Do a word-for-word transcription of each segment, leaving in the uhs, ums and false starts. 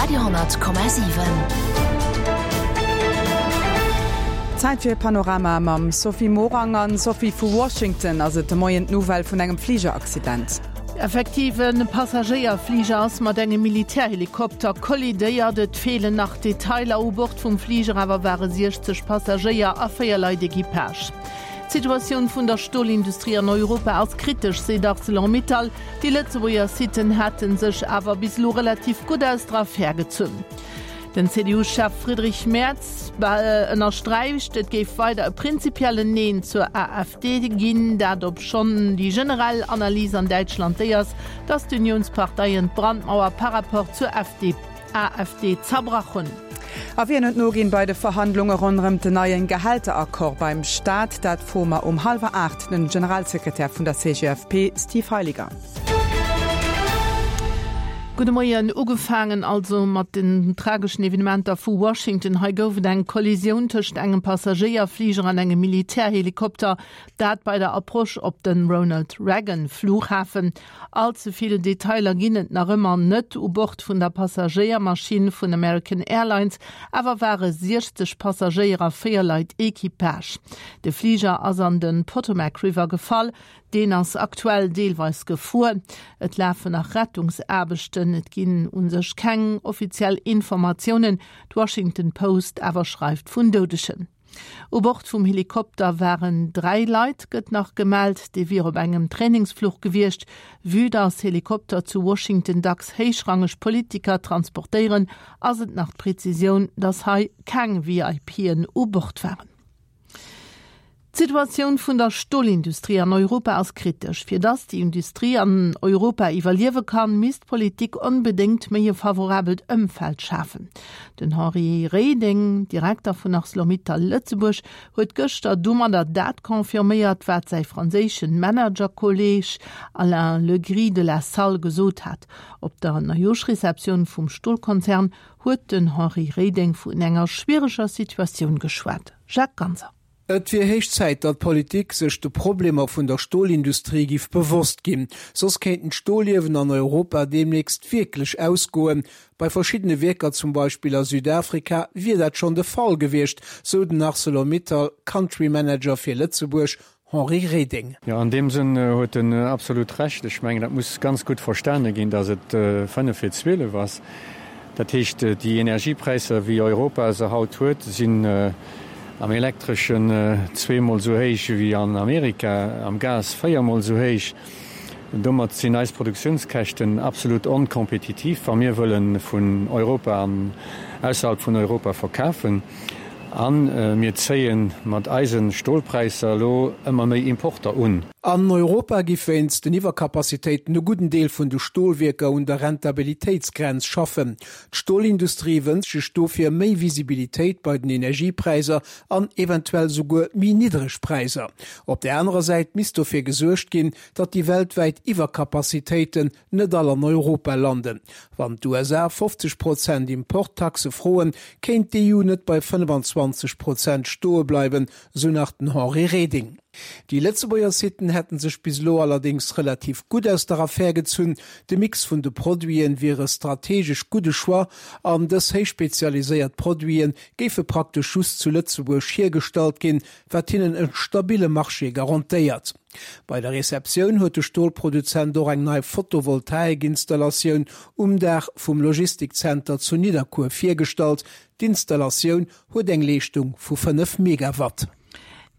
Radio Komma siwen. Zäit fir Panorama mam Sophie Morang. An Sophie, vu Washington ass et de Moien d'Nouvelle vun engem Fligeraccident. Effektiv, e Passagéierfliger ass mat engem Militärhelikopter kollidéiert. Et feelen nach Detailer. U Bord vum Fliger awer ware siechzeg Passagéier a véier Leit Equipage. D'Situatioun vun der Stolindustrie an Europa ass kritesch, seet Arcelor-Mittal. Déi Lëtzebuerger Sitten hätte sech awer bis elo relativ gutt aus der Affär gezunn. Den C D U-Chef Friedrich Merz ënnersträicht, et géif weider e prinzipiellen Neen zur A F D ginn, dat obschonn déi generell Analys an Däitschland déi ass, datt d'Uniounsparteien d'Brandmauer par rapport zur A F D zerbrach hunn. A wien huet noginn bei de Verhandlunge ronderëm den neien Gehälteraccord beim Staat? Dat froe mer um hallwer aacht den Generalsekretär vun der C G F P Steve Heiliger. Gudde Moien. Ugefaangen also mat den trageschen Evenementer vu Washington. Hei gouf et eng Kollisioun tëscht engem Passagéierfliger an engem Militärhelikopter, dat bei der Approche op den Ronald Reagan Flughafen. All ze vill Detailer ginn et nach ëmmer net. U Bord vun der Passagéiermaschinn vun American Airlines awer ware siechzeg Passagéier a véier Leit Equipage. De Fliger ass an den Potomac River gefall. Deen ass aktuell deelweis gefruer. Et lafen nach Rettungsaarbechten, et ginn u sech keng offiziell Informatiounen. D'Washington Post awer schreift vun Doudegen. U Bord vum Helikopter waren dräi Leit, gëtt nach gemellt, déi wier op engem Trainingsfluch gewiescht. Vue dass Helikopter zu Washington dacks héichrangeg Politiker transportéieren, ass et nach d'Prezisioun, dass hei keng V I P'en u Bord waren. D'Situatioun vun der Stolindustrie an Europa ass kritesch. Fir dass déi Industrie an Europa iwwerliewe kann, misst d'Politik onbedéngt méi e favorabelt Ëmfeld schafen. Den Henri Reding, Direkter vun ArcelorMittal Lëtzebuerg, huet gëschter domadder dat confirméiert, wat säi franséische Managerkolleeg Alain Legris de la Salle gesot hat. Op der Neijooschreceptioun vum Stolkonzern huet den Henri Reding vun enger schwiereger Situatioun geschwat. Jacques Ganser. Et wier héich Zäit, datt d'Politik sech de Problemer vun der Stolindustrie giff bewosst ginn. Soss kéinten d'Stoliewen an Europa deemnächst wierklech ausgoen. Bei verschiddene Wierker, zum Beispill a Südafrika, wier dat schonn de Fall gewiescht, sou den ArcelorMittal Country Manager fir Lëtzebuerg Henri Reding. Ja, an deem Sënn huet en absolut Recht. Ech mengen, dat muss ganz gutt verstane ginn, datt et fënnef fir zwielef ass. Dat heescht, déi Energiepräisser, wéi Europa se haut huet, sinn am Elektreschen zweemol esou héich wéi an Amerika, am Gas véiermol esou héich. Domat sinn eis Produktiounskäschten absolut onkompetitiv, wa mir wëlle vun Europa an ausserhalb vun Europa verkafen. A mir zéie mat eise Stolpräisser elo ëmmer méi Importer un. An Europa gi wéinst den Iwwerkapazitéiten e gudden Deel vun de Stolwierker un der Rentabilitéitsgrenz schaffen. D'Stolindustrie wënscht sech dofir méi Visibilitéit bei den Energiepräisser an eventuell souguer méi niddreg Präisser. Op der anerer Säit misst dofir gesuergt ginn, datt déi weltwäit Iwwerkapazitéiten net all an Europa landen. Wann d'U S A fofzeg Prozent Importtaxe froen, kéint d'E U net bei fënnefenzwanzeg Prozent stoe bleiwen, sou nach den Henri Reding. Déi Lëtzebuerger Sitten hätten sech bis elo allerdéngs relativ gutt aus der Affär gezunn. De Mix vun de Produiten wier e strategesch gudde Choix an dës héichspezialiséiert Produite géife praktesch just zu Lëtzebuerg hiergestallt ginn, wat hinnen e stabille Marché garantéiert. Bei der Receptioun huet de Stolproduzent och eng nei Photovoltaikinstallatioun um Daach vum Logistikzenter zu Nidderkuer virgestallt. D'Installatioun huet eng Leeschtung vu fënnef Megawatt.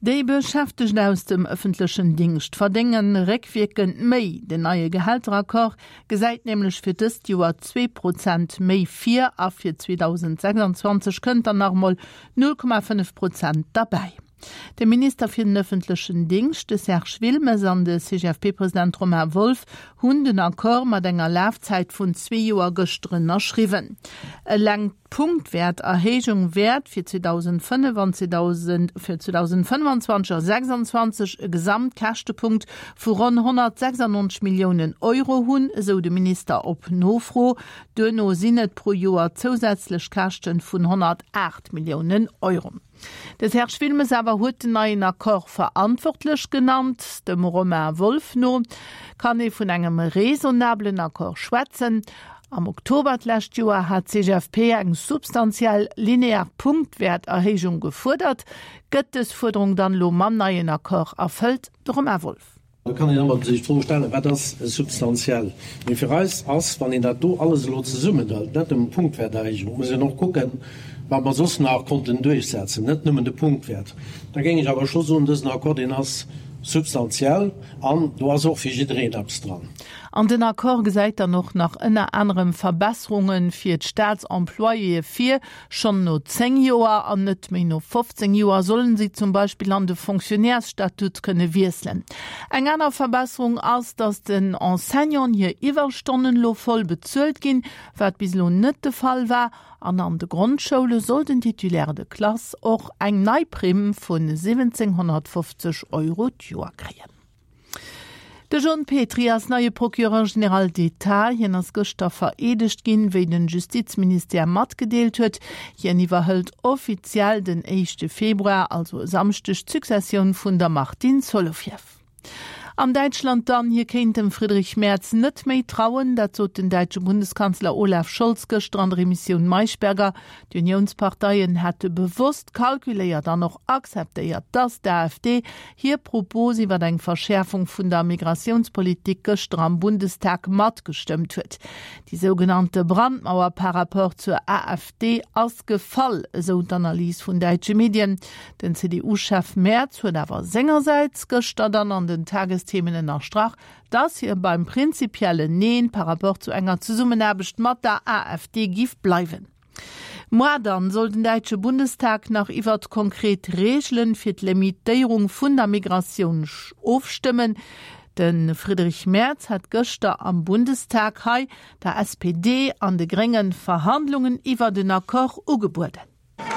Déi Beschäftegt aus dem ëffentlechen Dingscht verdénge réckwierkend méi. Den neie Gehälteraccord gesäit nämlech fir dëst Joer zwee Prozent méi vir a fir zweedausendsechsanzwanzeg kënnt dann nach mol null Komma fënnef Prozent derbäi. De Minister fir den ëffentlechen Dingscht, de Serge Wilmes, an de C G F P-President Romain Wolff hunn den Accord mat enger Lafzäit vun zwee Joer gëschter ënnerschriwwen. Eleng d'Punktwäerterhéijung wäert fir zweedausendfënnef fir zweedausendfënnefenzwanzeg a sechsanzwanzeg e Gesamtkäschtepunkt vu ronn honnertsechsannonzeg Milliounen Euro hunn, esou de Minister op Nofro. Duerno sinn et pro Joer zousätzlech Käschte vun honnertaacht Milliounen Euro. De Serge Wilmes awer huet den neien Accord verantwortlech genannt. Dem Romain Wolff no kann ee vun engem raisonnablen Accord schwätzen. Am Oktober d'lescht Joer hat d'CGFP eng substantiell linear Punktwäerterhéijung gefuerdert. Gëtt dës Fuerderung dann elo mam neien Accord erfëllt? De Romain Wolff. Da kann een ëmmer sech d'Fro stellen, Wat ass substantiell? Mee fir eis ass, wann een dat do alles elo zesummenhëlt, net nëmmen d'Punktwäerterhéijung, muss een och kucken, wat mer soss nach konnten duerchsetzen, net nëmmen de Punktwäert, da géing ech awer scho soen, dësen Accord, deen ass substantiell an do ass och fir jiddereen eppes dran. An den Accord gesäit dann och nach ënner anerem Verbesserunge fir d'Staatsemployéë vir. Schonn no zéng Joer an net méi no fofzéng Joer sollen si zum Beispill an de Fonctionnairesstatut kënne wiesselen. Eng aner Verbesserung ass, datt den Enseignanten hir Iwwerstonnen elo voll bezuelt ginn, wat bis elo net de Fall war. An an de Grondschoule soll den Titulaire de classe och eng nei Primm vun siwwenzénghonnertfofzeg Euro d'Joer kréien. De John Petry ass neie Procureur général d'État. Hien ass gëschter vereedegt ginn, wéi den Justizministère matgedeelt huet. Hien iwwerhëlt offiziell den éischte Februar, also e Samschdeg, d'Successioun vun der Martine Solovieff. An Däitschland dann, Hie kéint dem Friedrich Merz net méi trauen, dat sot den däitsche Bundeskanzler Olaf Scholz gëschter an der Emissioun Maischberger. D'Uniounsparteien hätte bewosst kalkuléiert an och akzeptéiert, datt d'AfD hir Propos iwwer eng Verschäerfung vun der Migratiounspolitik gëschter am Bundestag matgestëmmt huet. Déi sougenannte Brandmauer par rapport zur AfD ass gefall, esou d'Analys vun däitsche Medien. Den C D U-Chef Merz huet awer sengersäits gëschter dann an den Tagesthemen ënnerstrach, dass hie beim prinzipiellen Neen par rapport zu enger Zesummenaarbecht mat der A F D giff bleiwen. Moar dann soll den däitsche Bundestag nach iwwert konkret Reegelen fir d'Limitéierung vun der Migratioun ofstëmmen. De Friedrich Merz hat gëschter am Bundestag hei der S P D an de Gréngen Verhandlungen iwwer den Accord ugebueden.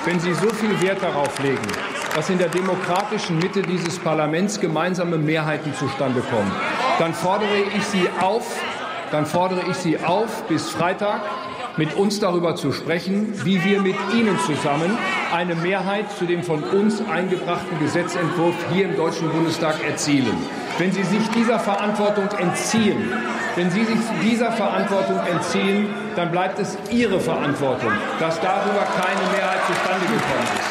Wenn Sie so viel Wert darauf legen, dass in der demokratischen Mitte dieses Parlaments gemeinsame Mehrheiten zustande kommen, dann fordere ich Sie auf, dann fordere ich Sie auf, bis Freitag mit uns darüber zu sprechen, wie wir mit Ihnen zusammen eine Mehrheit zu dem von uns eingebrachten Gesetzentwurf hier im Deutschen Bundestag erzielen. Wenn Sie sich dieser Verantwortung entziehen, wenn Sie sich dieser Verantwortung entziehen, dann bleibt es Ihre Verantwortung, dass darüber keine Mehrheit zustande gekommen ist.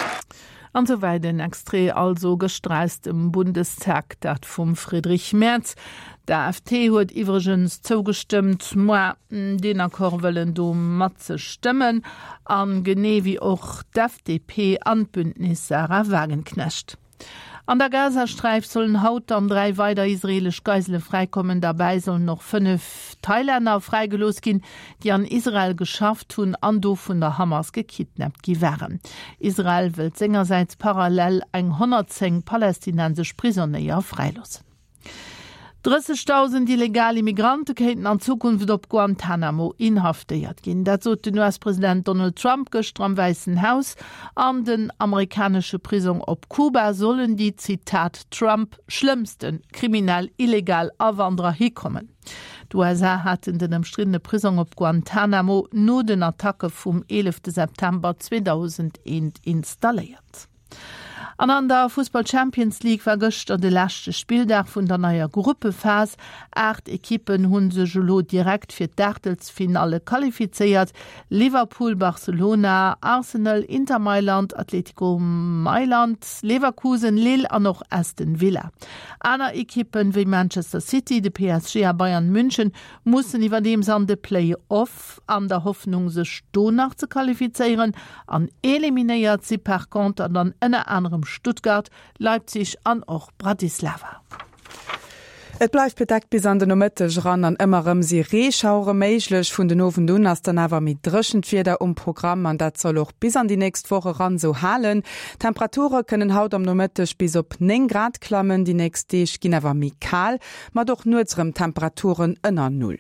An souwäit en Extrait also gëschter aus dem Bundestag, dat vum Friedrich Merz. D'A F D huet iwwregens zougestëmmt, moar deen Accord wëllen do matzestëmmen, an genee wéi och d'F D P an d'Bündnis Sahra Wagenknecht. An der Gazasträif sollen haut dann dräi weider israeelesch Geisele fräikommen. Derbäi sollen och fënnef Thailänner fräigelooss ginn, déi an Israel geschafft hunn an do vun der Hamas gekidnappt gi waren. Israel wëllt sengersäits parallel eng honnertzéng palästinensesch Prisonéier fräiloossen. Drëssegdausend illegal Immigrante kéinten an Zukunft op Guantanamo inhaftéiert ginn. Dat sot den U S-President Donald Trump gëschter am Wäissen Haus. An den amerikanesche Prisong op Kuba sollen déi, Zitat Trump, schlëmmste kriminell illegal Awanderer hikommen. D'U S A haten den ëmstriddene Prisong op Guantanamo no den Attacke vum eelefte September zweedausendeen installéiert. An an der Fussball Champions League war gëschter de leschte Spilldag vun der neier Gruppephas. Aacht Ekippen hu sech elo direkt fir d'Aachtelsfinalle qualifizéiert, Liverpool, Barcelona, Arsenal, Inter Mailand, Atletico Mailand, Leverkusen, Lille an och Aston Villa. Aner Ekippen wéi Manchester City, de P S G a Bayern München mussen iwwerdeems an de Play-off an der Hoffnung sech do nach ze qualifizéieren an eliminéiert si par contre dann ënner anerem Stuttgart, Leipzig an och Bratislava. Et bleift bedeckt bis an de Nomëtteg eran an ëmmer erëm si Reeschauere méiglech. Vun den Owend un ass dann awer méi dréchent Wieder um Programm an dat soll och bis an déi nächst Woch eran sou halen. D'Temperature kënnen haut am Nomëtteg bis op néng Grad klammen, déi nächst Deeg ginn awer méi kal, mat och nuets erëm Temperaturen ënner Null.